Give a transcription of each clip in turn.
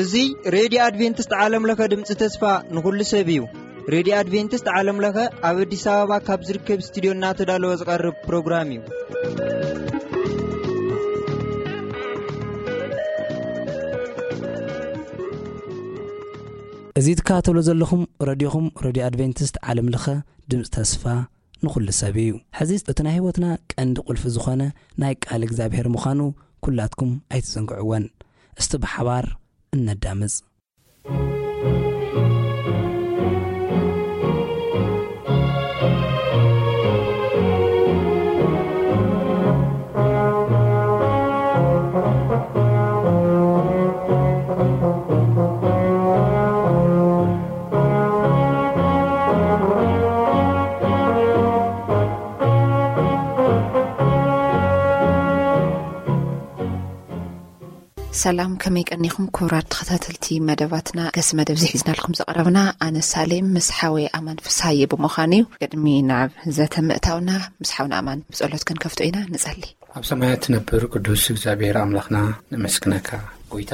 እዚ ሬድዮ ኣድቬንቲስት ዓለም ለኸ ድምፂ ተስፋ ንኹሉ ሰብ እዩ። ሬድዮ ኣድቬንቲስት ዓለም ለኸ ኣብ ኣዲስ ኣበባ ካብ ዝርከብ ስቱዲዮ እናተዳለወ ዝቐርብ ፕሮግራም እዩ። እዚ ትከታተሉ ዘለኹም ረድዮኹም፣ ረድዮ ኣድቬንቲስት ዓለም ለኸ ድምፂ ተስፋ ንኹሉ ሰብ እዩ። ሕዚ እቲ ናይ ህይወትና ቀንዲ ቁልፊ ዝኾነ ናይ ቃል እግዚኣብሔር ምዃኑ ኩላትኩም ኣይትዘንግዕወን። እስቲ ብሓባር እነዳምፅ። ሰላም፣ ከመይ ቀኒኹም ክቡራት ተኸታተልቲ መደባትና? ገስ መደብ እዚ ሒዝናልኩም ዝቐረብና ኣነ ሳሌም ምስ ሓወይ ኣማን ፍስሃየ ብምዃን እዩ። ቅድሚ ናብ ዘተ ምእታውና ምስ ሓውና ኣማን ብጸሎት ክንከፍቶ ኢና። ንጸሊ። ኣብ ሰማያት ትነብር ቅዱስ እግዚኣብሔር ኣምላኽና ነመስግነካ። ጎይታ፣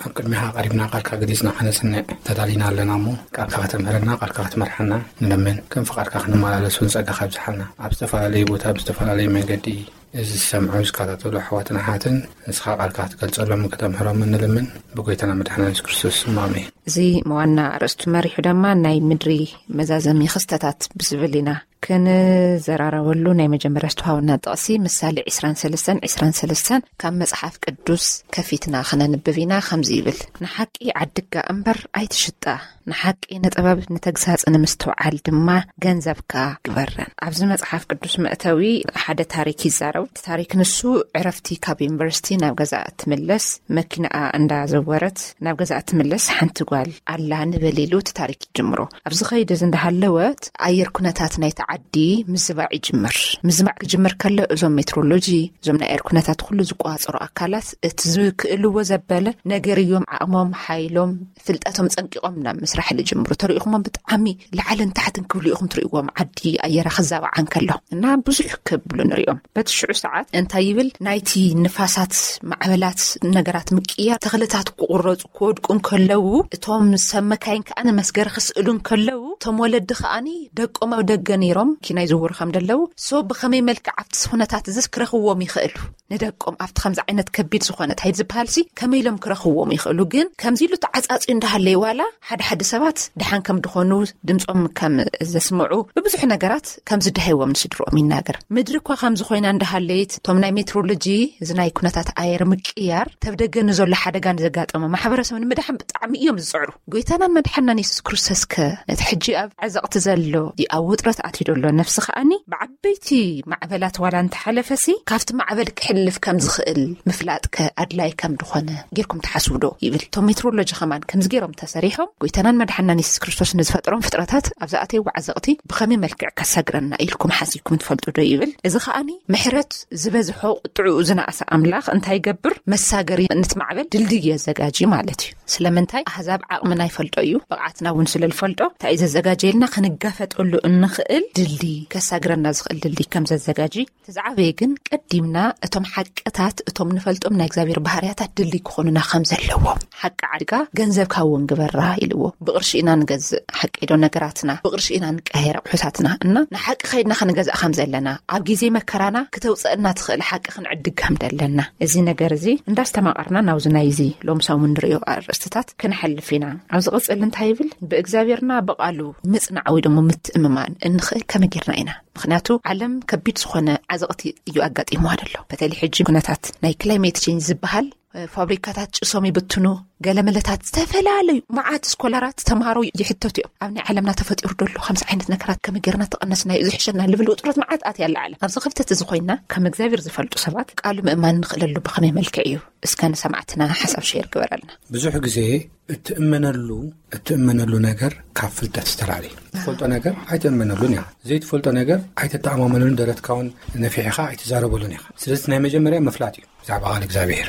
ኣብ ቅድሚኻ ቀሪብና ቃልካ ገሊጽና ከነጽንዕ ተዳሊና ኣለና እሞ፣ ቃልካ ከተምህረና፣ ቃልካ ክትመርሓና ንለምን። ከም ፍቓድካ ክንመላለስ እውን ጸጋኻ ኣብዝሓልና። ኣብ ዝተፈላለየ ቦታ ብዝተፈላለየ መንገዲ እዚ ዝሰምዑ ዝከታተሉ ኣሕዋትን ኣሓትን ንስኻ ቃልካ ክትገልጸሎም ከተምህሮም እንልምን ብጎይታና መድሓና የሱስ ክርስቶስ ስም ኣሜን። እዚ ዋና ኣርእስቱ መሪሑ ድማ ናይ ምድሪ መዛዘሚ ክስተታት ብዝብል ኢና ክንዘራረበሉ። ናይ መጀመርያ ዝተዋሃበና ጥቕሲ ምሳሌ ዕስራን ሰለስተን ዕስራን ሰለስተን ካብ መጽሓፍ ቅዱስ ከፊትና ክነንብብ ኢና። ከምዚ ይብል፣ ንሓቂ ዓድጋ እምበር ኣይትሽጣ፣ ንሓቂ ንጥበብ ንተግሳጽ ንምስትውዓል ድማ ገንዘብካ ግበረን። ኣብዚ መጽሓፍ ቅዱስ መእተዊ ሓደ ታሪክ ይዛረብ። እቲ ታሪክ ንሱ ዕረፍቲ ካብ ዩኒቨርሲቲ ናብ ገዛ እትምለስ መኪናኣ እንዳዘወረት ናብ ገዛ እትምለስ ሓንቲ ጓል ኣላ ንበል ኢሉ እቲ ታሪክ ይጅምሮ። ኣብዚ ኸይዲ እዚ እንዳሃለወት ኣየር ኩነታት ናይቲ ዓዲ ምዝባዕ ይጅምር። ምዝባዕ ክጅምር ከሎ እዞም ሜትሮሎጂ፣ እዞም ናይ ኣየር ኩነታት ኩሉ ዝቆጻጸሩ ኣካላት እቲ ዝክእልዎ ዘበለ ነገር እዮም ዓቕሞም፣ ሓይሎም፣ ፍልጠቶም ጸንቂቖም ናብ ምስራሕ ዝጅምሩ። ተሪኢኹሞም ብጣዕሚ ላዕልን ታሕትን ክብሉ ኢኹም ትርእይዎም። ዓዲ ኣየራ ክዛባዓ እንከሎ እና ብዙሕ ክብሉ ንሪኦም። በቲ ሽዑ ሰዓት እንታይ ይብል? ናይቲ ንፋሳት ማዕበላት ነገራት ምቅያር፣ ተኽልታት ክቑረጹ ክወድቁ እንከለዉ፣ እቶም ሰብ መካይን ከኣ ንመስገሪ ክስእሉ እንከለዉ፣ እቶም ወለዲ ከኣኒ ደቆም ኣብ ደገ ነይሮም ኪና ይዝውሩ ከም ደለዉ፣ ሶ ብኸመይ መልክዕ ኣብቲ ኩነታት እዚስ ክረኽዎም ይኽእሉ? ንደቆም ኣብቲ ከምዚ ዓይነት ከቢድ ዝኾነ እንታይ ዝበሃልሲ ከመይ ኢሎም ክረኽዎም ይኽእሉ? ግን ከምዚ ኢሉ ተዓጻጽዩ እንዳሃለየ ዋላ ሓደ ሓደ ሰባት ደሓን ከም ድኾኑ፣ ድምጾም ከም ዘስምዑ፣ ብብዙሕ ነገራት ከም ዝደሃይዎም ንስድርኦም ይናገር። ምድሪ እኳ ከምዚ ኮይና እንዳሃለየት፣ እቶም ናይ ሜትሮሎጂ፣ እዚ ናይ ኩነታት ኣየር ምቅያር፣ ተብ ደገ ንዘሎ ሓደጋ ንዘጋጠመ ማሕበረሰብ ንምድሓን ብጣዕሚ እዮም ዝጽዕሩ። ጎይታናን መድሓናን የሱስ ክርስቶስ ከ ነቲ ሕጂ ኣብ ዓዘቕቲ ዘሎ፣ ኣብ ውጥረት ኣትዩ ዘሎ ነፍሲ ከኣኒ ብዓበይቲ ማዕበላት ዋላ እንተሓለፈሲ፣ ካብቲ ማዕበል ክሕልፍ ከም ዝኽእል ምፍላጥ ከ ኣድላይ ከም ድኾነ ጌርኩም ትሓስቡ ዶ? ይብል። እቶም ሜትሮሎጂ ኸማን ከምዚ ጌሮም ተሰሪሖም፣ ጎይታናን መድሓናን የሱስ ክርስቶስ ንዝፈጠሮም ፍጥረታት ኣብ ዝኣተይዎ ዓዘቕቲ ብኸመይ መልክዕ ከሳግረና ኢልኩም ሓሲብኩም ትፈልጡ ዶ? ይብል። እዚ ኸኣኒ ምሕረት ዝበዝሖ ቁጥዕኡ ዝነኣሰ ኣምላኽ እንታይ ይገብር? መሳገሪ ነቲ ማዕበል ድልድይ የዘጋጂ ማለት እዩ። ስለምንታይ? ኣህዛብ ዓቕምና ይፈልጦ እዩ፣ ብቕዓትና እውን ስለ ዝፈልጦ፣ እንታይ እዩ ዘዘጋጀየልና? ክንጋፈጠሉ እንኽእል ድልድይ፣ ከሳግረና ዝኽእል ድልድይ ከም ዘዘጋጂ። እቲ ዝዓበየ ግን ቀዲምና እቶም ሓቅታት፣ እቶም ንፈልጦም ናይ እግዚኣብሔር ባህርያታት ድልድይ ክኾኑና ከም ዘለዎም። ሓቂ ዓድጋ ገንዘብካ እውን ግበራ ኢልዎ። ብቕርሺ ኢና ንገዝእ፣ ሓቂ ዶ? ነገራትና ብቕርሺ ኢና ንቀያየር ኣቑሑታትና። እና ንሓቂ ከይድና ክንገዝእ ከም ዘለና፣ ኣብ ግዜ መከራና ክተውፅአና ትኽእል ሓቂ ክንዕድግ ከም ዘለና። እዚ ነገር እዚ እንዳስተማቐርና ናብዚ ናይዚ ሎም ሰሙን ንርእዮ ኣርእስትታት ክንሓልፍ ኢና። ኣብዚ ቐጽል እንታይ ይብል? ብእግዚኣብሔርና ብቓሉ ምጽናዕ ወይ ደሞ ምትእምማን እንኽእል ከመይ ጌርና ኢና? ምኽንያቱ ዓለም ከቢድ ዝኾነ ዓዘቕቲ እዩ ኣጋጢምዋ ዘሎ። በተለይ ሕጂ ኩነታት ናይ ክላይሜት ቼንጅ ዝበሃል፣ እ፣ ፋብሪካታት ጭሶም ይብትኑ፣ ገለመለታት ዝተፈላለዩ መዓት ስኮላራት ተምሃሮ ይሕተቱ እዮም። ኣብ ናይ ዓለምና ተፈጢሩ ዘሎ ከምዚ ዓይነት ነገራት ከመይ ጌርና ተቐነስናዮ፣ እዚ ሕሸና ልብል ውጥረት መዓት ኣትያ ኣላ ዓለም። ኣብዚ ክፍተት እዚ ኮይና ከም እግዚኣብሔር ዝፈልጡ ሰባት ቃሉ ምእማን ንኽእለሉ ብኸመይ መልክዕ እዩ? እስከ ንሰማዕትና ሓሳብ ሼር ግበረልና። ብዙሕ ግዜ እትእመነሉ፣ እትእመነሉ ነገር ካብ ፍልጠት ዝተላዕለ እዩ። ትፈልጦ ነገር ኣይትእመነሉን ኢኻ። ዘይትፈልጦ ነገር ኣይተተኣማመኑን፣ ደረትካ እውን ነፊሕኻ ኣይትዛረበሉን ኢኻ። ስለዚ ናይ መጀመርያ ምፍላጥ እዩ ብዛዕባ ቃል እግዚኣብሔር።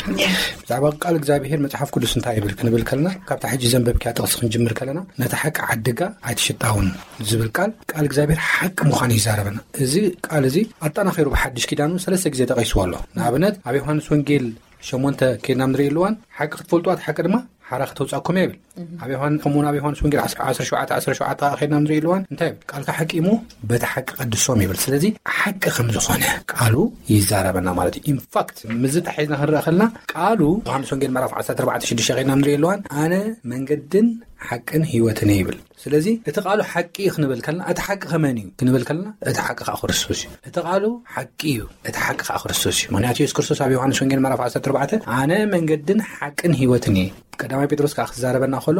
ብዛዕባ ቃል እግዚኣብሔር መጽሓፍ ቅዱስ እንታይ ይብል ክንብል ከለና፣ ካብታ ሕጂ ዘንበብክያ ጥቕሲ ክንጅምር ከለና፣ ነታ ሓቂ ዓድጋ ኣይትሽጣውን ዝብል ቃል፣ ቃል እግዚኣብሔር ሓቂ ምዃኑ ይዛረበና። እዚ ቃል እዚ ኣጠናኺሩ ብሓድሽ ኪዳኑ ሰለስተ ግዜ ተቐይስዎ ኣሎ። ንኣብነት ኣብ ዮሃንስ ወንጌል ሸሞንተ ከይድና ንርኢ ኣለዋን፣ ሓቂ ክትፈልጡ ኣቲ ሓቂ ድማ ሓራ ከተውጻእኩም እያ ይብል። ኣብ ዮሃን-፣ ከምኡውን ኣብ ዮሃንስ ወንጌል ዓሰርተ ሸውዓተ ዓሰርተ ሸውዓተ ከይድና ንርኢ ኣለዋን እንታይ ይብል? ቃልካ ሓቂ እሞ በቲ ሓቂ ቀድሶም ይብል። ስለዚ ሓቂ ከም ዝኾነ ቃሉ ይዛረበና ማለት እዩ። ኢንፋክት ምስዚ ተሓሒዝና ክንረአ ከለና ቃሉ ዮሃንስ ወንጌል ምዕራፍ ዓሰርተ ኣርባዕተ ሽዱሽተ ከይድና ንርኢ ኣለዋን ኣነ መንገድን ሓቅን ህይወትን እየ ይብል። ስለዚ እቲ ቃሉ ሓቂ እዩ ክንብል ከለና እቲ ሓቂ ከመን እዩ ክንብል ከለና እቲ ሓቂ ከዓ ክርስቶስ እዩ። እቲ ቃሉ ሓቂ እዩ፣ እቲ ሓቂ ከዓ ክርስቶስ እዩ። ምክንያቱ የሱስ ክርስቶስ ኣብ ዮሃንስ ወንጌል ምዕራፍ ዓሰርተ ኣርባዕተ ኣነ መንገድን ሓቅን ህይወትን እየ። ቀዳማይ ጴጥሮስ ከዓ ክዛረበና ከሎ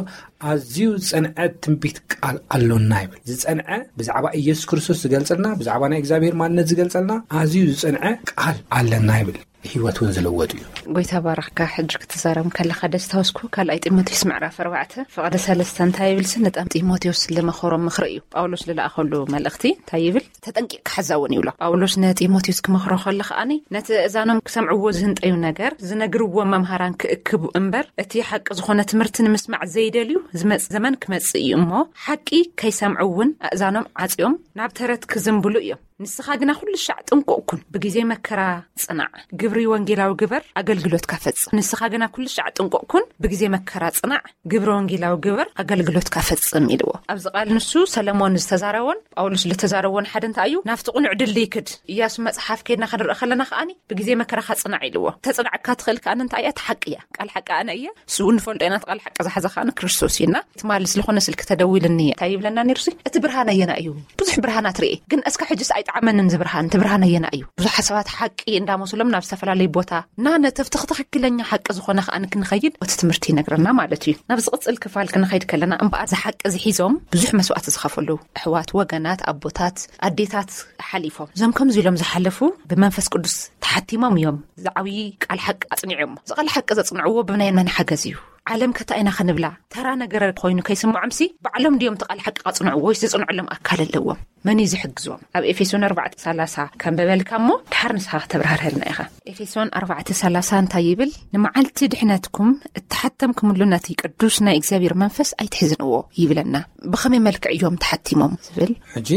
ኣዝዩ ዝጸንዐ ትንቢት ቃል ኣሎና ይብል። ዝጸንዐ ብዛዕባ ኢየሱስ ክርስቶስ ዝገልጸልና፣ ብዛዕባ ናይ እግዚኣብሔር ማንነት ዝገልጸልና ኣዝዩ ዝጸንዐ ቃል ኣለና ይብል። ህይወት እውን ዝለወጥ እዩ። ጎይታ ባረኽካ። ሕጂ ክትዛረብ ከለኻ ደስታ ወስኩ ካልኣይ ጢሞቴዎስ ምዕራፍ ኣርባዕተ ፍቕዲ ሰለስተ እንታይ ይብል? ንጣም ጢሞቴዎስ ልመኸሮም ምኽሪ እዩ። ጳውሎስ ልለኣኸሉ መልእኽቲ እንታይ ይብል? ተጠንቂቕ ክሓዛውን ይብሎ። ጳውሎስ ንጢሞቴዎስ ክመኽሮ ከሎ ከኣኒ ነቲ እዛኖም ክሰምዕዎ ዝህንጠዩ ነገር ዝነግርዎ መምሃራን ክእክቡ እምበር እቲ ሓቂ ዝኾነ ትምህርቲ ንምስማዕ ዘይደልዩ ዝመጽእ ዘመን ክመጽእ እዩ እሞ ሓቂ ከይሰምዑ እውን ኣእዛኖም ዓጽዮም ናብ ተረት ክዝንብሉ እዮም። ንስኻ ግና ኩሉ ሻዕ ጥንቁቕ ኩን፣ ብግዜ መከራ ጽናዕ፣ ግብሪ ወንጌላዊ ግበር፣ ኣገልግሎትካ ፈጽም። ንስኻ ግና ኩሉ ሻዕ ጥንቁቕ ኩን፣ ብግዜ መከራ ጽናዕ፣ ግብሪ ወንጌላዊ ግበር፣ ኣገልግሎትካ ፈጽም ኢልዎ። ኣብዚ ቃል ንሱ ሰለሞን ዝተዛረቦን ጳውሎስ ዝተዛረቦን ሓደ እንታይ እዩ? ናብቲ ቅኑዕ ድልድይ ክድ። ኢያሱ መጽሓፍ ከይድና ክንርኢ ከለና ከኣኒ ብግዜ መከራኻ ጽናዕ ኢልዎ። ተጽናዕካ ትኽእል ከኣኒ እንታይ እያ? እቲ ሓቂ እያ። ቃል ሓቂ ኣነ እየ። ስኡ ንፈልጦ ኢና። እቲ ቃል ሓቂ ዝሓዘ ከኣኒ ክርስቶስ እዩና። ትማሊ ስለኾነ ስልኪ ተደዊልኒ እየ። እንታይ ይብለና ነይሩ ሲ? እቲ ብርሃን ኣየና እዩ? ብዙሕ ብርሃናት ርኤ፣ ግን እስከ ሕጅስ ኣይጠዓመንን እዚ ብርሃን። እቲ ብርሃን ኣየና እዩ? ብዙሓት ሰባት ሓቂ እንዳመሰሎም ናብ ዝተፈላለዩ ቦታ እና ነተብቲ ትኽክለኛ ሓቂ ዝኾነ ከኣ ክንኸይድ እቲ ትምህርቲ ይነግረና ማለት እዩ። ናብ ዝቕጽል ክፋል ክንኸይድ ከለና እምበኣር እዚ ሓቂ ዝሒዞም ብዙሕ መስዋእቲ ዝኸፈሉ ኣሕዋት፣ ወገናት፣ ኣቦታት፣ ኣዴታት ሓሊፎም። እዞም ከምዚ ኢሎም ዝሓለፉ ብመንፈስ ቅዱስ ተሓቲሞም እዮም ዝዓብዪ ቃል ሓቂ ኣጽኒዖሞ። እዚ ቃል ሓቂ ዘጽንዕዎ ብናይ መን ሓገዝ እዩ? ዓለም ከታ ኢና ክንብላ ተራ ነገር ኮይኑ ከይስምዖምሲ ባዕሎም ድዮም እቲ ቃል ሓቂ ኣጽንዕዎ ወይስ ዝጽንዕሎም ኣካል ኣለዎም? መን እዩ ዝሕግዞም? ኣብ ኤፌሶን ኣርባዕተ ሰላሳ ከንበበልካ እሞ ድሓር ንስኻ ከተብራህርሀልና ኢኻ። ኤፌሶን ኣርባዕተ ሰላሳ እንታይ ይብል? ንመዓልቲ ድሕነትኩም እተሓተምኩምሉ ነቲ ቅዱስ ናይ እግዚኣብሔር መንፈስ ኣይትሕዝንዎ ይብለና። ብኸመይ መልክዕ እዮም ተሓቲሞም ዝብል? ሕጂ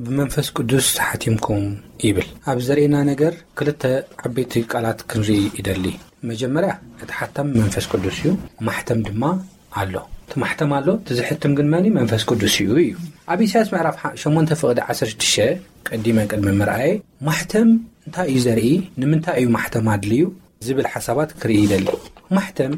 ብመንፈስ ቅዱስ ተሓቲምኩም ይብል። ኣብ ዘርእና ነገር ክልተ ዓበይቲ ቃላት ክንርኢ ይደሊ። መጀመርያ እቲ ሓታም መንፈስ ቅዱስ እዩ። ማሕተም ድማ ኣሎ። እቲ ማሕተም ኣሎ፣ እቲ ዝሕትም ግን መን እዩ? መንፈስ ቅዱስ እዩ እዩ። ኣብ ኢሳያስ ምዕራፍ ሓ-፣ ሸሞንተ ፍቕዲ ዓሰርተ ሽዱሽተ ቀዲመ ቅድሚ ምርኣየ ማሕተም እንታይ እዩ ዘርኢ? ንምንታይ እዩ ማሕተም ኣድልዩ? ዝብል ሓሳባት ክርኢ ይደሊ። ማሕተም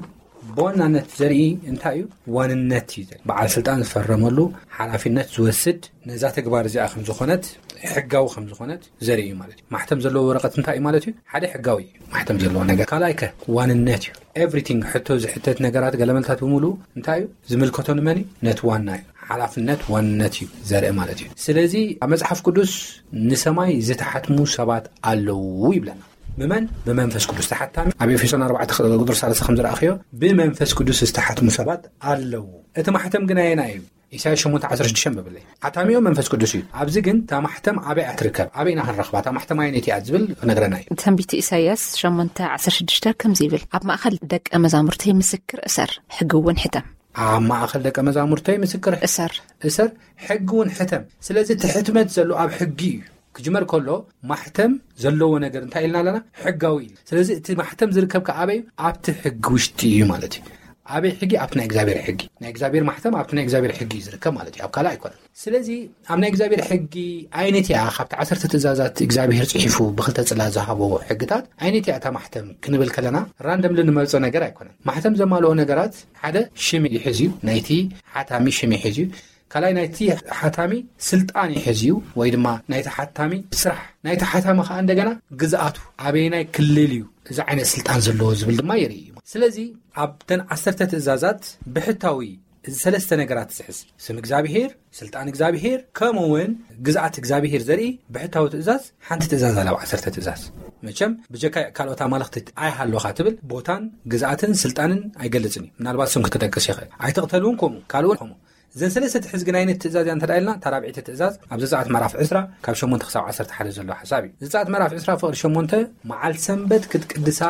ብዋናነት ዘርኢ እንታይ እዩ? ዋንነት እዩ ዘርኢ። በዓል ስልጣን ዝፈረመሉ ሓላፊነት ዝወስድ ነዛ ተግባር እዚኣ ከም ዝኾነት፣ ሕጋዊ ከም ዝኾነት ዘርኢ እዩ ማለት እዩ። ማሕተም ዘለዎ ወረቐት እንታይ እዩ ማለት እዩ? ሓደ ሕጋዊ እዩ ማሕተም ዘለዎ ነገር። ካልኣይ ከ ዋንነት እዩ። ኤቭሪቲንግ ሕቶ ዝሕተት ነገራት ገለመልታት ብምሉእ እንታይ እዩ? ዝምልከቶ ንመን እዩ? ነቲ ዋና እዩ። ሓላፍነት ዋንነት እዩ ዘርኢ ማለት እዩ። ስለዚ ኣብ መጽሓፍ ቅዱስ ንሰማይ ዝተሓትሙ ሰባት ኣለዉ ይብለና። ብመን? ብመንፈስ ቅዱስ። ተሓታሚ ኣብ ኤፌሶን ኣርባዕተ ቁጽሪ ሰላሳ ከም ዝረኣኽዮ ብመንፈስ ቅዱስ ዝተሓትሙ ሰባት ኣለዉ። እቲ ማሕተም ግን ኣየና እዩ? ኢሳያስ ሸሞንተ ዓሰርተ ሽዱሽተ ብብለይ ሓታሚኦ መንፈስ ቅዱስ እዩ። ኣብዚ ግን እታ ማሕተም ኣበይ እያ ትርከብ? ኣበይ ኢና ክንረኽባ? እታ ማሕተም ኣየነይቲ እያ ዝብል ክነግረና እዩ። ትንቢት ኢሳያስ ሸሞንተ ዓሰርተ ሽዱሽተ ከምዚ ይብል፣ ኣብ ማእከል ደቀ መዛሙርተይ ምስክር እሰር፣ ሕጊ እውን ሕተም። ኣብ ማእከል ደቀ መዛሙርተይ ምስክር እሰር። እሰር፣ ሕጊ እውን ሕተም። ስለዚ እቲ ሕትመት ዘሎ ኣብ ሕጊ እዩ። ክጅመር ከሎ ማሕተም ዘለዎ ነገር እንታይ ኢልና ኣለና? ሕጋዊ እዩ። ስለዚ እቲ ማሕተም ዝርከብ ከ ኣበይ እዩ? ኣብቲ ሕጊ ውሽጢ እዩ ማለት እዩ። ኣበይ ሕጊ? ኣብቲ ናይ እግዚኣብሔር ሕጊ። ናይ እግዚኣብሔር ማሕተም ኣብቲ ናይ እግዚኣብሔር ሕጊ እዩ ዝርከብ ማለት እዩ። ኣብ ካልእ ኣይኮነን። ስለዚ ኣብ ናይ እግዚኣብሔር ሕጊ ኣይነት እያ፣ ካብቲ ዓሰርተ ትእዛዛት እግዚኣብሔር ጽሒፉ ብኽልተ ጽላት ዝሃቦ ሕግታት ኣይነት እያ እታ ማሕተም ክንብል ከለና ራንደምሊ ንመርጾ ነገር ኣይኮነን። ማሕተም ዘማልኦ ነገራት ሓደ ሽም ይሕዝ እዩ፣ ናይቲ ሓታሚ ሽም ይሕዝ እዩ። ካልኣይ ናይቲ ሓታሚ ስልጣን ይሕዝ እዩ፣ ወይ ድማ ናይቲ ሓታሚ ስራሕ፣ ናይቲ ሓታሚ ከኣ እንደገና ግዝኣቱ ኣበየናይ ክልል እዩ እዚ ዓይነት ስልጣን ዘለዎ ዝብል ድማ የርኢ እዩ። ስለዚ ኣብተን ዓሰርተ ትእዛዛት ብሕታዊ እዚ ሰለስተ ነገራት ዝሕዝ፣ ስም እግዚኣብሄር፣ ስልጣን እግዚኣብሄር፣ ከምኡ እውን ግዝኣት እግዚኣብሄር ዘርኢ ብሕታዊ ትእዛዝ ሓንቲ ትእዛዝ ኣላ፣ ኣብ ዓሰርተ ትእዛዝ። መቸም ብጀካ ካልኦት ኣማልኽቲ ኣይሃለኻ ትብል ቦታን ግዝኣትን ስልጣንን ኣይገልጽን እዩ። ምናልባት ስም ክትጠቅስ ይኽእል። ኣይትቕተል እውን ከምኡ፣ ካልእ እውን ከምኡ። እዘን ሰለስተ ሕዝግን ዓይነት ትእዛዝ እያ እንተ ኢልና፣ እታ ራብዒተ ትእዛዝ ኣብ ዘጸኣት ምዕራፍ ዕስራ ካብ ሸሞንተ ክሳብ ዓሰርተ ሓደ ዘሎ ሓሳብ እዩ። ዘጸኣት ምዕራፍ ዕስራ ፍቕዲ ሸሞንተ፣ መዓልቲ ሰንበት ክትቅድሳ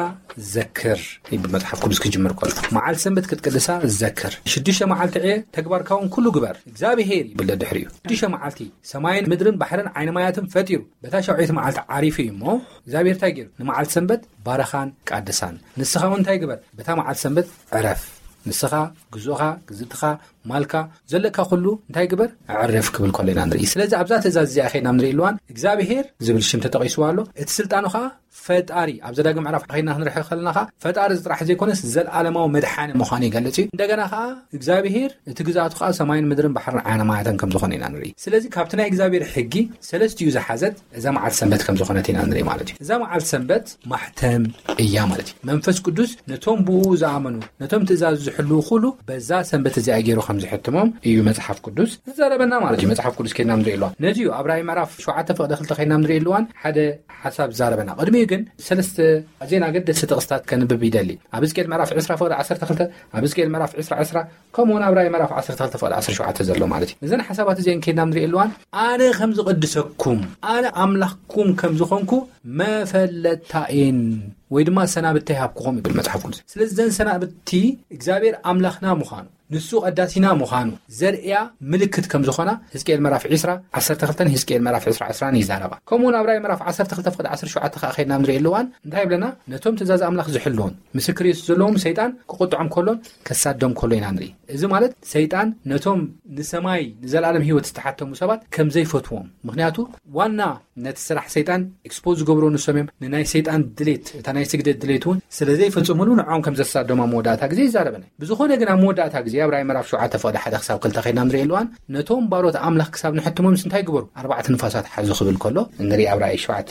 ዘክር ይብል መጽሓፍ ቅዱስ ክጅምር ከሎ። መዓልቲ ሰንበት ክትቅድሳ ዘክር። ሽዱሽተ መዓልቲ ዕየ፣ ተግባርካ እውን ኩሉ ግበር፣ እግዚኣብሄር ይብል ደድሕሪኡ። ሽዱሽተ መዓልቲ ሰማይን ምድርን ባሕርን ዓይኒ ማያትን ፈጢሩ፣ በታ ሻውዒት መዓልቲ ዓሪፉ እዩ እሞ፣ እግዚኣብሄር እንታይ ገይሩ? ንመዓልቲ ሰንበት ባረኻን ቀደሳን። ንስኻ እውን እንታይ ግበር? በታ መዓልቲ ሰንበት ዕረፍ። ንስኻ፣ ግዙእኻ፣ ግዝእትኻ፣ ማልካ፣ ዘለካ ኩሉ እንታይ ግበር? ዕረፍ ክብል ከሎ ኢና ንርኢ። ስለዚ ኣብዛ ትእዛዝ እዚኣ ኸይድና ንርኢ ኣለዋን እግዚኣብሄር ዝብል ሽም ተጠቒስዋ ኣሎ። እቲ ስልጣኑ ኸዓ ፈጣሪ። ኣብ ዘዳግም ምዕራፍ ኸይድና ክንርሕ ከለና ኸዓ ፈጣሪ ጥራሕ ዘይኮነስ ዘለዓለማዊ መድሓኒ ምዃኑ ይገልጽ እዩ። እንደገና ኸዓ እግዚኣብሄር እቲ ግዝኣቱ ኸዓ ሰማይን ምድርን ባሕርን ዓይኒ ማያትን ከም ዝኾነ ኢና ንርኢ። ስለዚ ካብቲ ናይ እግዚኣብሄር ሕጊ ሰለስቲኡ ዝሓዘት እዛ መዓልቲ ሰንበት ከም ዝኾነት ኢና ንርኢ ማለት እዩ። እዛ መዓልቲ ሰንበት ማሕተም እያ ማለት እዩ። መንፈስ ቅዱስ ነቶም ብኡ ዝኣመኑ፣ ነቶም ትእዛዙ ዝሕልዉ ኩሉ በዛ ሰንበት እዚኣ ገይሩ ከም ዝሕትሞም እዩ መጽሓፍ ቅዱስ ዝዛረበና ማለት እዩ። መጽሓፍ ቅዱስ ከይድና ንርኢ ኣለዋን። ነዚ እዩ ኣብ ራእይ ምዕራፍ ሸውዓተ ፍቕዲ ክልተ ከይድና ንርኢ ኣለዋን ሓደ ሓሳብ ዝዛረበና። ቅድሚኡ ግን ሰለስተ ኣዝየን ኣገደስቲ ጥቕስታት ከንብብ ይደሊ። ኣብ ሕዝቅኤል ምዕራፍ ዕስራ ፍቕዲ ዓሰርተ ክልተ፣ ኣብ ሕዝቅኤል ምዕራፍ ዕስራ ዕስራ፣ ከምኡ እውን ኣብ ራእይ ምዕራፍ ዓሰርተ ክልተ ፍቕዲ ዓሰርተ ሸውዓተ ዘሎ ማለት እዩ። እዘን ሓሳባት እዚአን ከይድና ንርኢ ኣለዋን፣ ኣነ ከም ዝቕድሰኩም፣ ኣነ ኣምላኽኩም ከም ዝኾንኩ መፈለጥታኤን ወይ ድማ ሰናብተይ ሃብኩኹም ይብል መጽሓፍ ቅዱስ። ስለዚ እዘን ሰናብቲ እግዚኣብሔር ኣምላኽና ምዃኑ፣ ንሱ ቀዳሲና ምዃኑ ዘርእያ ምልክት ከም ዝኾና ሕዝቅኤል ምዕራፍ ዕስራ ዓሰርተ ክልተን ሕዝቅኤል ምዕራፍ ዕስራ ዕስራን ይዛረባ። ከምኡ እውን ኣብ ራእይ ምዕራፍ ዓሰርተ ክልተ ፍቕዲ ዓሰርተ ሸውዓተ ከዓ ከይድና ንርኢ ኣለዋን እንታይ ይብለና? ነቶም ትእዛዝ ኣምላኽ ዝሕልውን ምስክር የሱስ ዘለዎም ሰይጣን ክቁጥዖም ከሎን ከሳዶም ከሎ ኢና ንርኢ። እዚ ማለት ሰይጣን ነቶም ንሰማይ ንዘለኣለም ህይወት ዝተሓተሙ ሰባት ከም ዘይፈትዎም፣ ምኽንያቱ ዋና ነቲ ስራሕ ሰይጣን ኤክስፖዝ ዝገብሮ ንሶም እዮም። ንናይ ሰይጣን ድሌት፣ እታ ናይ ስግደት ድሌት እውን ስለ ዘይፈጽሙሉ ንዕኦም ከም ዘሳዶም ኣብ መወዳእታ ግዜ ይዛረበና። ብዝኾነ ግን ኣብ መወዳእታ ግዜ ኣብ ራእይ ምዕራፍ ሸውዓተ ፍቕዲ ሓደ ክሳብ ክልተ ከይድና ንርኢ ኣለዋን ነቶም ባሮት ኣምላኽ ክሳብ ንሕትሞም እንታይ ግበሩ? ኣርባዕተ ንፋሳት ሓዙ ክብል ከሎ ንርኢ ኣብ ራእይ ሸውዓተ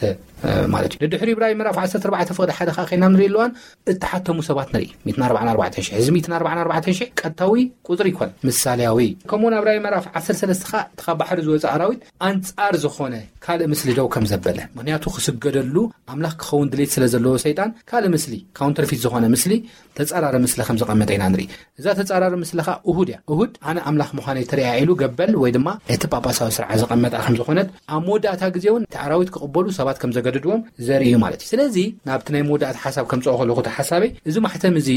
ማለት እዩ። ንድሕሪኡ ብራእይ ምዕራፍ ዓሰርተ ኣርባዕተ ፍቕዲ ሓደ ከዓ ከይድና ንርኢ ኣለዋን እተሓተሙ ሰባት ንርኢ። ሚእትን ኣርባዓን ኣርባዕተን ሽሕ። እዚ ሚእትን ኣርባዓን ኣርባዕተን ሽሕ ቀጥታዊ ቁጽሪ ይኮን፣ ምሳሌያዊ። ከምኡውን ኣብ ራእይ ምዕራፍ ዓሰርተ ሰለስተ ከዓ እቲ ካብ ባሕሪ ዝወፀ ኣራዊት ኣንጻር ዝኾነ ካልእ ምስሊ ደው ከም ዘበለ፣ ምኽንያቱ ክስገደሉ ኣምላኽ ክኸውን ድሌት ስለ ዘለዎ ሰይጣን ካልእ ምስሊ፣ ካውንተርፊት ዝኾነ ምስሊ፣ ተጻራሪ ምስሊ ከም ዘቐመጠ ኢና ንርኢ። እዛ ተጻራሪ ምስለኻ እሁድ እያ። እሁድ ኣነ ኣምላኽ ምዃነይ ተረኣያ ኢሉ ገበል ወይ ድማ እቲ ጳጳሳዊ ስርዓት ዘቐመጣ ከም ዝኾነት፣ ኣብ መወዳእታ ግዜ እውን እቲ ኣራዊት ክቕበሉ ሰባት ከም ዘገድድዎም ዘርኢ እዩ ማለት እዩ። ስለዚ ናብቲ ናይ መወዳእታ ሓሳብ ከምጽኦ ከለኹ እቲ ሓሳበይ፣ እዚ ማሕተም እዚ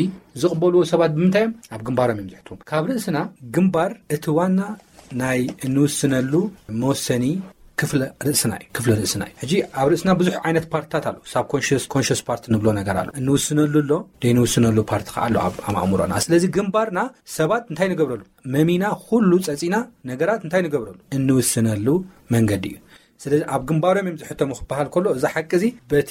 ዝቕበልዎ ሰባት ብምንታይ እዮም? ኣብ ግንባሮም እዮም ዝሕትሙ። ካብ ርእስና ግንባር እቲ ዋና ናይ እንውስነሉ መወሰኒ ክፍለ ርእስና እዩ፣ ክፍለ ርእስና እዩ። ሕጂ ኣብ ርእስና ብዙሕ ዓይነት ፓርትታት ኣሎ። ሳብ ኮንሽስ፣ ኮንሽስ ፓርት ንብሎ ነገር ኣሎ። እንውስነሉ ኣሎ፣ ዘይንውስነሉ ፓርት ከዓ ኣሎ ኣብ፣ ኣብ ኣእምሮና። ስለዚ ግንባርና ሰባት እንታይ ንገብረሉ? መሚና ኩሉ ጸጺና ነገራት እንታይ ንገብረሉ? እንውስነሉ መንገዲ እዩ። ስለዚ ኣብ ግንባሮም እዮም ዝሕተሙ ክበሃል ከሎ፣ እዚ ሓቂ እዚ በቲ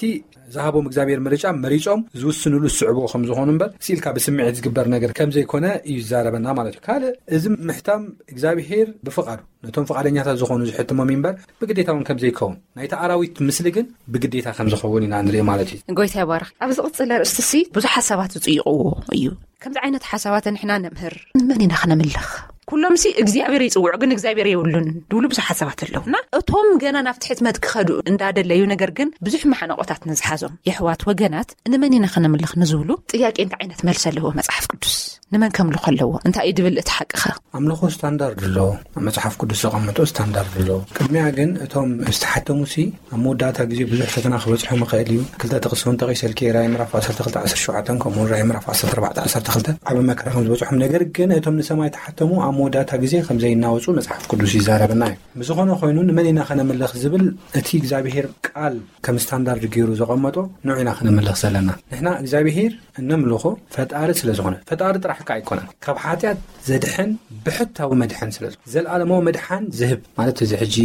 ዝሃቦም እግዚኣብሔር ምርጫ መሪጾም ዝውስንሉ ዝስዕብዎ ከም ዝኾኑ እምበር፣ ስኢልካ ብስምዒት ዝግበር ነገር ከም ዘይኮነ እዩ ዝዛረበና ማለት እዩ። ካልእ፣ እዚ ምሕታም እግዚኣብሔር ብፍቓዱ ነቶም ፍቓደኛታት ዝኾኑ ዝሕትሞም እምበር፣ ብግዴታ እውን ከም ዘይከውን፣ ናይቲ ኣራዊት ምስሊ ግን ብግዴታ ከም ዝኸውን ኢና ንርኢ ማለት እዩ። ጎይታ ይባርኽ። ኣብ ዝቕጽል ኣርእስቲ ሲ ብዙሓት ሰባት ዝጽይቕዎ እዩ። ከምዚ ዓይነት ሓሳባት ንሕና ነምህር፣ ንመን ኢና ክነምልኽ? ኩሎም ሲ እግዚኣብሔር ይጽውዑ፣ ግን እግዚኣብሔር የብሉን ድብሉ ብዙሓት ሰባት ኣለዉ። እና እቶም ገና ናብቲ ሕትመት ክኸዱ እንዳደለዩ፣ ነገር ግን ብዙሕ መሓነቆታት ንዝሓዞም የሕዋት ወገናት፣ ንመን ኢና ክነምልኽ ንዝብሉ ጥያቄ እንታይ ዓይነት መልሲ ኣለዎ መጽሓፍ ቅዱስ? ንመን ከምልኾ ኣለዎ? እንታይ እዩ ድብል እቲ ሓቂ ኸ? ኣምልኾ ስታንዳርድ ኣሎ፣ ኣብ መጽሓፍ ቅዱስ ዘቐመጦ ስታንዳርድ ኣሎ። ቅድሚያ ግን እቶም ዝተሓተሙ ሲ ኣብ መወዳእታ ግዜ ብዙሕ ፈተና ክበጽሖም ይኽእል እዩ። ክልተ ጥቕሲ እውን ጠቒሰልኪ፣ ራእይ ምዕራፍ ዓሰርተ ክልተ ዓሰርተ ሸውዓተ ከምኡ እውን ራእይ ምዕራፍ ዓሰርተ ኣርባዕተ ዓሰርተ ክልተ ዓቢ መከራ ከም ዝበጽሖም፣ ነገር ግን እቶም ንሰማይ ተሓተሙ ኣብ መወዳእታ ግዜ ከም ዘይናወጹ መጽሓፍ ቅዱስ ይዛረበና እዩ። ብዝኾነ ኮይኑ ንመን ኢና ከነምልኽ ዝብል እቲ እግዚኣብሄር ቃል ከም ስታንዳርድ ገይሩ ዘቐመጦ ንዑ ኢና ከነምልኽ ዘለና። ንሕና እግዚኣብሄር እነምልኾ ፈጣሪ ስለ ዝኾነ፣ ፈጣሪ ጥራሕ ከ ኣይኮነን፣ ካብ ሓጢኣት ዘድሕን ብሕታዊ መድሕን ስለ ዝኾነ፣ ዘለኣለማዊ መድሓን ዝህብ ማለት፣ እዚ ሕጂ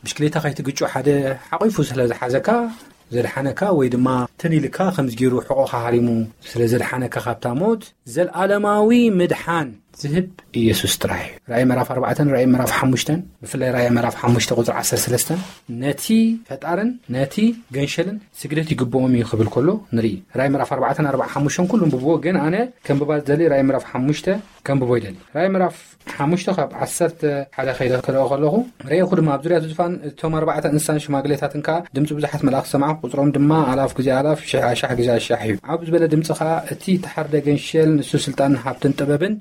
ብሽክሌታ ከይትግጩ ሓደ ሓቒፉ ስለ ዝሓዘካ ዘድሓነካ፣ ወይ ድማ ትንኢልካ ከምዚ ገይሩ ሕቖኻ ሃሪሙ ስለ ዘድሓነካ ካብታ ሞት፣ ዘለኣለማዊ ምድሓን ዝህብ ኢየሱስ ጥራሕ እዩ። ራእይ ምዕራፍ ኣርባዕተን ራእይ ምዕራፍ ሓሙሽተን፣ ብፍላይ ራእይ ምዕራፍ ሓሙሽተ ቁጽሪ ዓሰርተ ሰለስተን፣ ነቲ ፈጣርን ነቲ ገንሸልን ስግደት ይግብኦም እዩ ክብል ከሎ ንርኢ። ራእይ ምዕራፍ ኣርባዕተን ኣርባዓ ሓሙሽተን ኩሉ እንብብዎ፣ ግን ኣነ ከንብባ ዝደሊ ራእይ ምዕራፍ ሓሙሽተ ከንብቦ ይደሊ። ራእይ ምዕራፍ ሓሙሽተ ካብ ዓሰርተ ሓደ ከይደ ክረኦ ከለኹ፣ ረእኹ ድማ ኣብ ዙርያ እቲ ዙፋን እቶም ኣርባዕተ እንስሳን ሽማግሌታትን ከኣ ድምፂ ብዙሓት መላእኽቲ ሰማዕኩ፣ ቁፅሮም ድማ ኣላፍ ግዜ ኣላፍ፣ ሽሕ ኣሻሕ ግዜ ኣሻሕ እዩ። ዓብ ዝበለ ድምፂ ከኣ፣ እቲ ተሓርደ ገንሸል ንሱ ስልጣንን ሃብትን ጥበብን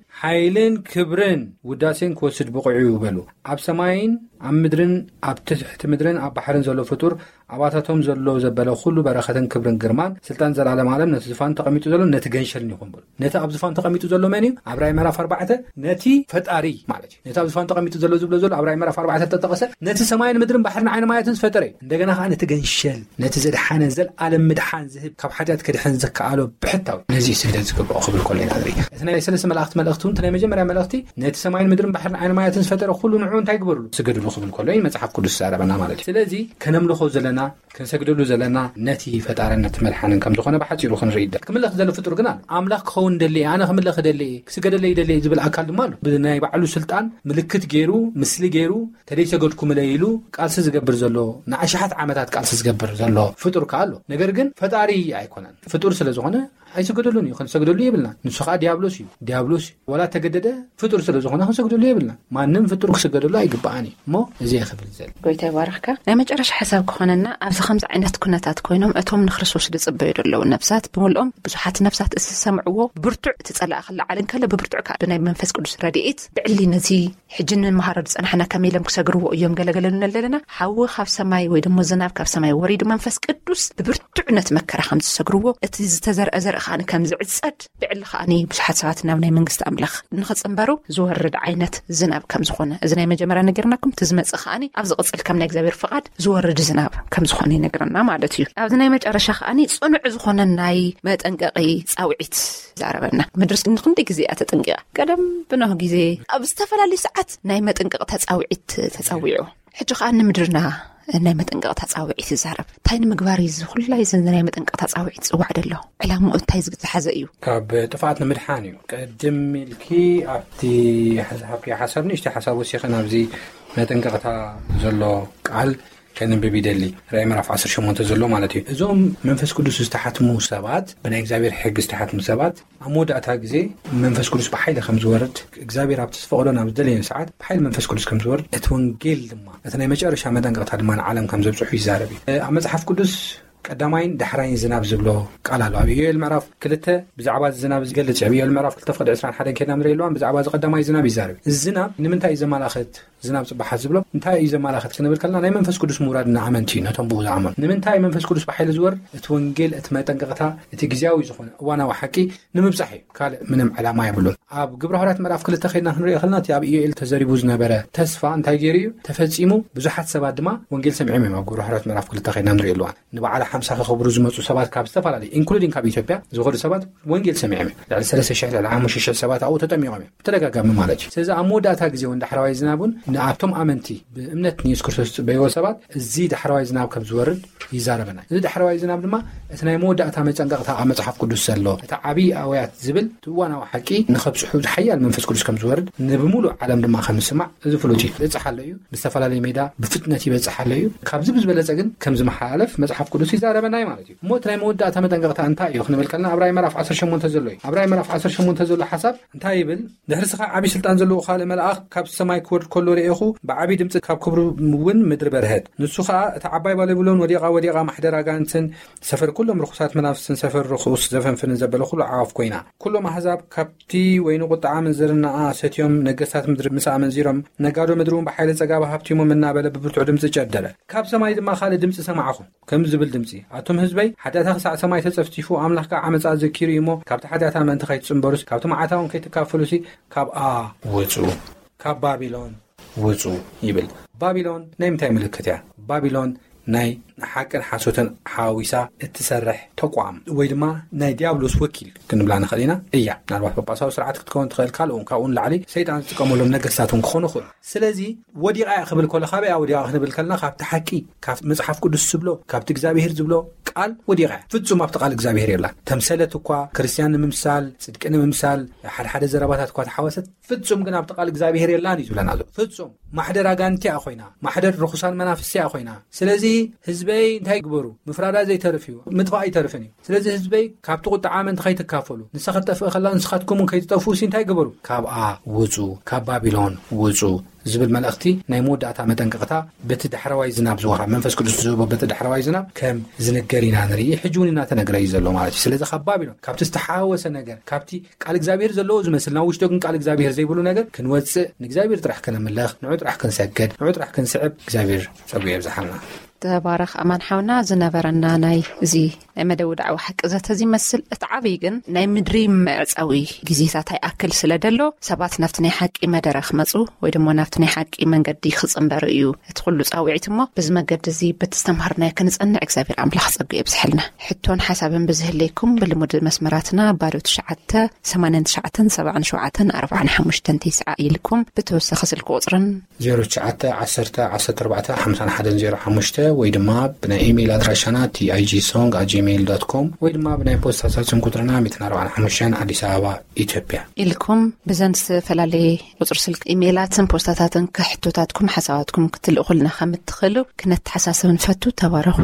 ኢልን ክብርን ውዳሴን ክወስድ ብቑዕ እዩ በሉ። ኣብ ሰማይን ኣብ ምድርን ኣብ ትሕቲ ምድርን ኣብ ባሕርን ዘሎ ፍጡር ኣባታቶም ዘሎ ዘበለ ኩሉ በረኸትን ክብርን ግርማን ስልጣን ዘላለም ዓለም ነቲ ዝፋን ተቐሚጡ ዘሎ ነቲ ገንሸልን ይኹን በሉ። ነቲ ኣብ ዝፋን ተቐሚጡ ዘሎ መን እዩ? ኣብ ራእይ ምዕራፍ ኣርባዕተ ነቲ ፈጣሪ ማለት እዩ። ነቲ ኣብ ዝፋን ተቐሚጡ ዘሎ ዝብሎ ዘሎ ኣብ ራእይ ምዕራፍ ኣርባዕተ ተጠቐሰ ነቲ ሰማይን ምድርን ባሕርን ዓይኒ ማያትን ዝፈጠረ እዩ። እንደገና ከዓ ነቲ ገንሸል ነቲ ዘድሓነ ዘልኣለም ምድሓን ዝህብ ካብ ሓጢኣት ከድሕን ዘከኣሎ ብሕታዊ ነዚ ስግደት ዝግብኦ ክብል ከሎ ኢና ንርኢ። እቲ ናይ ሰለስተ መላእኽቲ መልእኽቲ እውን እቲ ናይ መጀመርያ መልእኽቲ ነቲ ሰማይን ምድርን ባሕርን ዓይኒ ማያትን ዝፈጠረ ኩሉ ንዑ እንታይ ግበርሉ? ስገድሉ ክብል ከሎ እዩ መጽሓፍ ቅዱስ ዝዛረበና ማለት እዩ። ስለዚ ከነምልኾ ዘለና ክንሰግደሉ ዘለና ነቲ ፈጣርን ነቲ መድሓንን ከም ዝኾነ ብሓጺሩ ክንርኢ ይደል። ክምለኽ ዘሎ ፍጡር ግን ኣሎ። ኣምላኽ ክኸውን ደሊ እየ፣ ኣነ ክምለኽ ደሊ እየ፣ ክስገደለይ ደሊ እየ ዝብል ኣካል ድማ ኣሎ። ብናይ ባዕሉ ስልጣን ምልክት ገይሩ፣ ምስሊ ገይሩ፣ ተደይሰገድኩምለይ ኢሉ ቃልሲ ዝገብር ዘሎ፣ ንኣሽሓት ዓመታት ቃልሲ ዝገብር ዘሎ ፍጡር ከኣ ኣሎ። ነገር ግን ፈጣሪ ኣይኮነን። ፍጡር ስለ ዝኾነ ኣይስገደሉን እዩ፣ ክንሰግደሉ የብልና። ንሱ ከኣ ዲያብሎስ እዩ። ዲያብሎስ እዩ። ወላ ተገደደ ፍጡር ስለ ዝኾነ ክንሰግደሉ የብልና። ማንም ፍጡር ክስገደሉ ኣይግባኣን እዩ። እሞ እዚ እየ ክብል ዘል። ጎይታ ይባርኽካ። ናይ መጨረሻ ሓሳብ ክኾነና፣ ኣብዚ ከምዚ ዓይነት ኩነታት ኮይኖም እቶም ንክርስቶስ ዝጽበዩ ዘለዉ ነፍሳት ብምልኦም ብዙሓት ነፍሳት እዚ ዝሰምዕዎ ብርቱዕ እቲ ጸላኢ ክለዓል እንከሎ ብብርቱዕ ከኣ ብናይ መንፈስ ቅዱስ ረድኤት ብዕሊ ነዚ ሕጂ ንመሃሮ ዝጸናሕና ከመይ ኢሎም ክሰግርዎ እዮም ገለገለ ንብል ዘለና። ሓዊ ካብ ሰማይ ወይ ደሞ ዝናብ ካብ ሰማይ ወሪዱ መንፈስ ቅዱስ ብብርቱዕ ነቲ መከራ ከም ዝሰግርዎ፣ እቲ ዝተዘርአ ዘርኢ ከኣ ከም ዝዕጸድ፣ ብዕሊ ከኣ ብዙሓት ሰባት ናብ ናይ መንግስቲ ኣምላኽ ንኽጽንበሩ ዝወርድ ዓይነት ዝናብ ከም ዝኾነ፣ እዚ ናይ መጀመርያ ነገርናኩም፣ እቲ ዝመጽእ ከኣ ኣብ ዝቕጽል ከም ናይ እግዚኣብሔር ፍቓድ ዝወርድ ዝናብ ከም ዝኾነ ይነግረና ማለት እዩ። ኣብዚ ናይ መጨረሻ ከኣ ጽኑዕ ዝኾነ ናይ መጠንቀቒ ጻውዒት ዛረበና። ምድርስ ንክንደይ ግዜ እያ ተጠንቂቓ? ቀደም ብኖህ ግዜ ኣብ ዝተፈላለዩ ሰዓት ናይ መጠንቀቕታ ጻውዒት ተጸዊዑ። ሕጂ ከኣ ንምድርና ናይ መጠንቀቕታ ጻውዒት ይዛረብ። እንታይ ንምግባር እዩ እዚ ኩላይ እዚ ናይ መጠንቀቕታ ጻውዒት ዝጽዋዕ ዘሎ? ዕላምኡ እንታይ ዝሓዘ እዩ? ካብ ጥፍኣት ንምድሓን እዩ። ቅድም ኢልኪ ኣብቲ ዝሃብክዮ ሓሳብ ንእሽተይ ሓሳብ ወሲኸ ናብዚ መጠንቀቕታ ዘሎ ቃል ከንብብ ይደሊ። ራእይ ምዕራፍ ዓሰርተ ሸሞንተ ዘሎ ማለት እዩ። እዞም መንፈስ ቅዱስ ዝተሓትሙ ሰባት፣ ብናይ እግዚኣብሔር ሕጊ ዝተሓትሙ ሰባት ኣብ መወዳእታ ግዜ መንፈስ ቅዱስ ብሓይሊ ከም ዝወርድ፣ እግዚኣብሔር ኣብቲ ዝፈቕዶ ናብ ዝደለዮ ሰዓት ብሓይሊ መንፈስ ቅዱስ ከም ዝወርድ፣ እቲ ወንጌል ድማ እቲ ናይ መጨረሻ መጠንቀቕታ ድማ ንዓለም ከም ዘብጽሑ ይዛረብ እዩ። ኣብ መጽሓፍ ቅዱስ ቀዳማይን ዳሕራይን ዝናብ ዝብሎ ቃል ኣሎ። ኣብ ኢዮኤል ምዕራፍ ክልተ ብዛዕባ እዚ ዝናብ ዝገልጽ እዩ። ኣብ ኢዮኤል ምዕራፍ ክልተ ፍቕዲ ዕስራን ሓደን ከይድና ንርኢ ኣለዋን ብዛዕባ እዚ ቀዳማይ ዝናብ ይዛረብ። እዚ ዝናብ ንምንታይ እዩ ዘመላኽት? ዝናብ ጽባሓት ዝብሎ እንታይ እዩ ዘመላኽት ክንብል ከለና ናይ መንፈስ ቅዱስ ምውራድ ንኣመንቲ እዩ፣ ነቶም ብኡ ዝኣመኑ። ንምንታይ መንፈስ ቅዱስ ብሓይሊ ዝወርድ? እቲ ወንጌል፣ እቲ መጠንቀቕታ፣ እቲ ግዜያዊ ዝኾነ እዋናዊ ሓቂ ንምብጻሕ እዩ። ካልእ ምንም ዕላማ የብሉን። ኣብ ግብረ ሃዋርያት ምዕራፍ ክልተ ከይድና ክንሪኦ ከለና እቲ ኣብ ኢዮኤል ተዘሪቡ ዝነበረ ተስፋ እንታይ ገይሩ እዩ ተፈጺሙ? ብዙሓት ሰባት ድማ ወንጌል ሰሚዖም እዮም። ኣብ ግብረ ሃዋርያት ምዕራፍ ክልተ ከይድና ንሪኦ ኣለዋን ንበዓል ሓምሳ ከኸብሩ ዝመጹ ሰባት ካብ ዝተፈላለዩ ኢንክሉዲንግ ካብ ኢትዮጵያ ዝኸዱ ሰባት ወንጌል ሰሚዖም እዮም። ልዕሊ ሰለስተ ሽሕ ልዕሊ ሓሙሽተ ሽሕ ሰባት ኣብኡ ተጠሚቖም እዮም ብተደጋጋሚ ማለት እዩ። ስለዚ ኣብ መወዳእታ ግዜ እውን ዳሕረዋይ ዝናብ እውን ንኣብቶም ኣመንቲ ብእምነት ንየሱስ ክርስቶስ ዝጽበይዎ ሰባት እዚ ዳሕረዋይ ዝናብ ከም ዝወርድ ይዛረበና። እዚ ዳሕረዋይ ዝናብ ድማ እቲ ናይ መወዳእታ መጸንቀቕታ ኣብ መጽሓፍ ቅዱስ ዘሎ እቲ ዓብዪ ኣውያት ዝብል እቲ እዋናዊ ሓቂ ንኸብጽሑ ሓያል መንፈስ ቅዱስ ከም ዝወርድ ንብምሉእ ዓለም ድማ ከም ዝስማዕ እዚ ፍሉጥ እዩ። ይበጽሕ ኣሎ እዩ። ብዝተፈላለየ ሜዳ ብፍጥነት ይበጽሕ ኣሎ እዩ። ካብዚ ብዝበለጸ ግን ከም ዝመሓላለፍ መጽሓፍ ቅዱስ ይዛረበና እዩ ማለት እዩ። እሞ እቲ ናይ መወዳእታ መጠንቀቕታ እንታይ እዩ ክንብል ከለና ኣብ ራእይ ምዕራፍ ዓሰርተ ሸሞንተ ዘሎ እዩ። ኣብ ራእይ ምዕራፍ ዓሰርተ ሸሞንተ ዘሎ ሓሳብ እንታይ ይብል? ድሕሪ ስኻ ዓቢ ስልጣን ዘለዎ ካልእ መልኣኽ ካብ ሰማይ ክወርድ ከሎ ርእኹ፣ ብዓቢ ድምጺ ካብ ክብሩ እውን ምድሪ በርሀት። ንሱ ኸኣ እታ ዓባይ ባቢሎን ወዲቓ፣ ወዲቓ፣ ማሕደር ኣጋንንትን ሰፈር ኩሎም ርኹሳት መናፍስትን ሰፈር ርኹስ ዘፈንፍንን ዘበለ ኩሉ ዓዋፍ ኮይና። ኩሎም ኣህዛብ ካብቲ ወይኒ ቁጥዓ ምንዝርናኣ ሰትዮም፣ ነገስታት ምድሪ ምስ ኣመንዚሮም፣ ነጋዶ ምድሪ እውን ብሓይሊ ጸጋብ ሃብቲሞም እናበለ ብብርቱዕ ድምጺ ጨደረ። ካብ ሰማይ ድማ ካልእ ድምጺ ሰማዕኹ። ከምዚ ዝብል ድምጺ፣ ኣቱም ህዝበይ፣ ሓጢኣታ ክሳዕ ሰማይ ተጸፍጺፉ፣ ኣምላኽ ከኣ ዓመጻ ዘኪሩ እዩ እሞ፣ ካብቲ ሓጢኣታ ምእንቲ ከይትጽንበሩሲ፣ ካብቲ መዓታ እውን ከይትካፈሉሲ፣ ካብኣ ውጹ። ካብ ባቢሎን ውጹ ይብል። ባቢሎን ናይ ምንታይ ምልክት እያ? ባቢሎን ናይ ሓቅን ሓሶትን ሓዊሳ እትሰርሕ ተቋም ወይ ድማ ናይ ዲያብሎስ ወኪል ክንብላ ንኽእል ኢና እያ። ምናልባት ጳጳሳዊ ስርዓት ክትከውን ትኽእል፣ ካልእ እውን ካብኡ ንላዕሊ ሰይጣን ዝጥቀመሎም ነገስታት እውን ክኾኑ ይኽእሉ። ስለዚ ወዲቓ እያ ክብል ከሎ ካበይ እያ ወዲቓ ክንብል ከለና ካብቲ ሓቂ፣ ካብ መጽሓፍ ቅዱስ ዝብሎ፣ ካብቲ እግዚኣብሄር ዝብሎ ቃል ወዲቓ እያ። ፍጹም ኣብቲ ቃል እግዚኣብሄር የላን። ተምሰለት እኳ ክርስትያን ንምምሳል፣ ጽድቂ ንምምሳል፣ ሓደ ሓደ ዘረባታት እኳ ተሓወሰት፣ ፍጹም ግን ኣብቲ ቃል እግዚኣብሄር የላን እዩ ዝብለና ዘሎ። ፍጹም ማሕደር ኣጋንንቲ እያ ኮይና፣ ማሕደር ርኹሳን መናፍስቲ እያ ኮይና። ስለዚ ህዝበይ እንታይ ግበሩ? ምፍራዳ ዘይተርፍ እዩ፣ ምጥፋእ ኣይተርፍን እዩ። ስለዚ ህዝበይ ካብቲ ቁጥዓ ኣመንቲ ከይትካፈሉ፣ ንሳ ክትጠፍእ ከላ ንስኻትኩም እውን ከይትጠፍኡ ሲ እንታይ ግበሩ? ካብኣ ውጹ፣ ካብ ባቢሎን ውጹ ዝብል መልእኽቲ ናይ መወዳእታ መጠንቀቕታ በቲ ዳሕረዋይ ዝናብ ዝወሃብ መንፈስ ቅዱስ ዝህቦ በቲ ዳሕረዋይ ዝናብ ከም ዝንገር ኢና ንርኢ። ሕጂ እውን እናተነግረ እዩ ዘሎ ማለት እዩ። ስለዚ ካብ ባቢሎን ካብቲ ዝተሓወሰ ነገር፣ ካብቲ ቃል እግዚኣብሔር ዘለዎ ዝመስልና ውሽጦ ግን ቃል እግዚኣብሔር ዘይብሉ ነገር ክንወፅእ፣ ንእግዚኣብሔር ጥራሕ ከነምለኽ፣ ንዑ ጥራሕ ክንሰግድ፣ ንዑ ጥራሕ ክንስዕብ እግዚኣብሔር ጸጉ የብዝሓልና። ተባረኽ ኣማን ሓውና። ዝነበረና ናይ እዚ ናይ መደቡ ዳዕዋ ሓቂ ዘተ እዚ ይመስል። እቲ ዓብይ ግን ናይ ምድሪ መዕጸዊ ግዜታት ኣይኣክል ስለ ደሎ ሰባት ናብቲ ናይ ሓቂ መደረ ክመጹ ወይ ድማ ናብቲ ናይ ሓቂ መንገዲ ክጽንበሩ እዩ እቲ ኩሉ ጻውዒት። እሞ በዚ መገዲ እዚ በቲ ዝተምሃርናዮ ክንጸንዕ እግዚኣብሔር ኣምላኽ ጸጉ የብዝሐልና። ሕቶን ሓሳብን ብዝህለይኩም ብልሙድ መስመራትና ባዶ ትሽዓተ ሰማንያን ትሽዓተን ሰብዓን ሸውዓተን ኣርባዓን ሓሙሽተን ተስዓ ኢልኩም ብተወሳኺ ስልኪ ቁጽርን ዜሮ ትሽዓተ ዓሰርተ ዓሰርተ ኣርባዕተ ሓምሳን ሓደን ዜሮ ሓሙሽተ ወይ ድማ ብናይ ኢሜይል ኣድራሻና ቲኣይጂ ሶንግ ኣት ጂሜይል ዶት ኮም ወይ ድማ ብናይ ፖስታ ሳጥን ቁጽርና ሚእትን ኣርባዓን ሓሙሽተን ኣዲስ ኣበባ ኢትዮጵያ። ኢልኩም ብዘን ዝተፈላለየ ቁጽሪ ስልክ ኢሜይላትን ፖስታታትን ከሕቶታትኩም ሓሳባትኩም ክትልእኹልና ከም እትኽእሉ ክነተሓሳስብ ንፈቱ። ተባረኹ።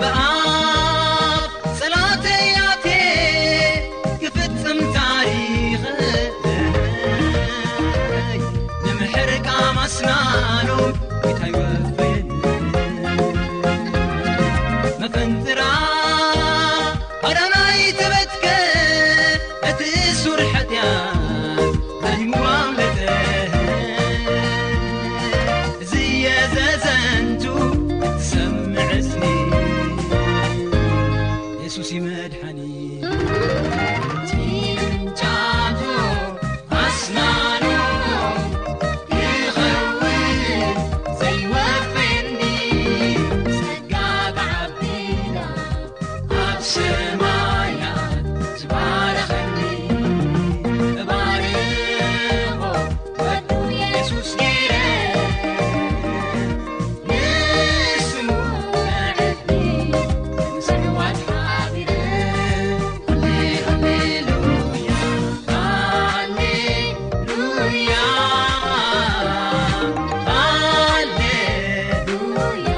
ብኣፍ ጸላተያቴ ክፍጽም ታሪኸይ ንምሕር ቃማስናኑ ይታይወፍን መፈንጥራ ኣዳናይ ተበትከ እቲ እሱር ሓጢኣት ኣሊሙ ኣምለጠ። እዚ የዘዘንቱ ትሰምዕ ስኒ የሱስ ይመድሓኒ። ጭንጫቱ ኣስናኑ ይኸውን ዘይወፍኒ ጸጋ ብዓቢና ኣብ ሰማያት ዝባረኸኒ እባርኾ ወዱ የሱስ ገይረ ንስሙ ኣዕጥኒ ንሰማዋት ሓቢረ ሃሌ ሃሌሉያ ሃሌ ሉያ ሃሌሉያ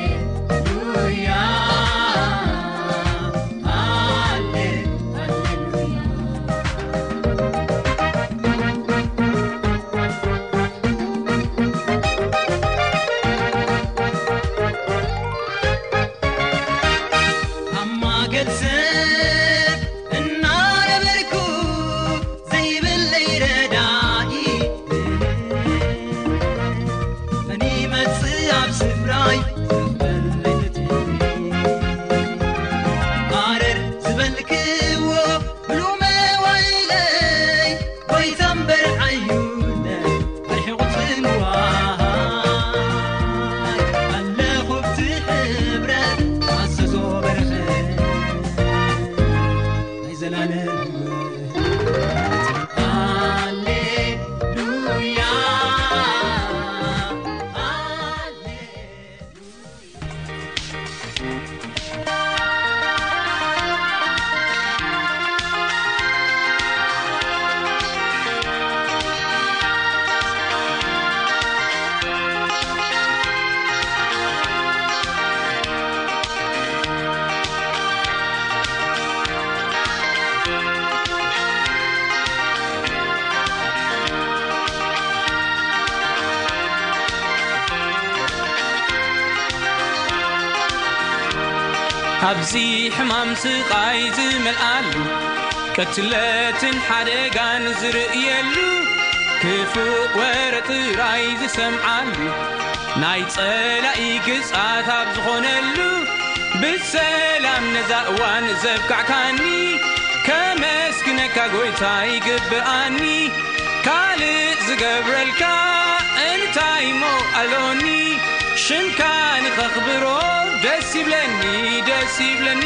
ሃሌሉያ ሃሌ ሃሌሉያ ኣብ ማእከል ሰብ እናነበርኩ ዘይብለይ ረዳኢ መን ይመጽእ ኣብ ስፍራይ ክቕበለይ ፍትሒ ኣረር ዝበልክዎ ብሉ መዋይለይ ጎይታ እምበር ዓዩነ ኣርሒቑ ጽልዋይ ኣለኹ ብቲ ሕብረት ኣዘዞ በረኸት ናይ ዘላለም ሃሌሉያ ሃሌ ኣብዚ ሕማም ስቓይ ዝመልኣሉ፣ ቅትለትን ሓደጋን ዝርእየሉ፣ ክፉእ ወረ ጥራይ ዝሰምዓሉ፣ ናይ ጸላኢ ግዝኣት ኣብ ዝኾነሉ፣ ብሰላም ነዛ እዋን ዘብቃዕካኒ፣ ከመስግነካ ጎይታ ይግብኣኒ። ካልእ ዝገብረልካ እንታይ እሞ ኣሎኒ? ሽምካ ንኸኽብሮ ደስ ይብለኒ፣ ደስ ይብለኒ።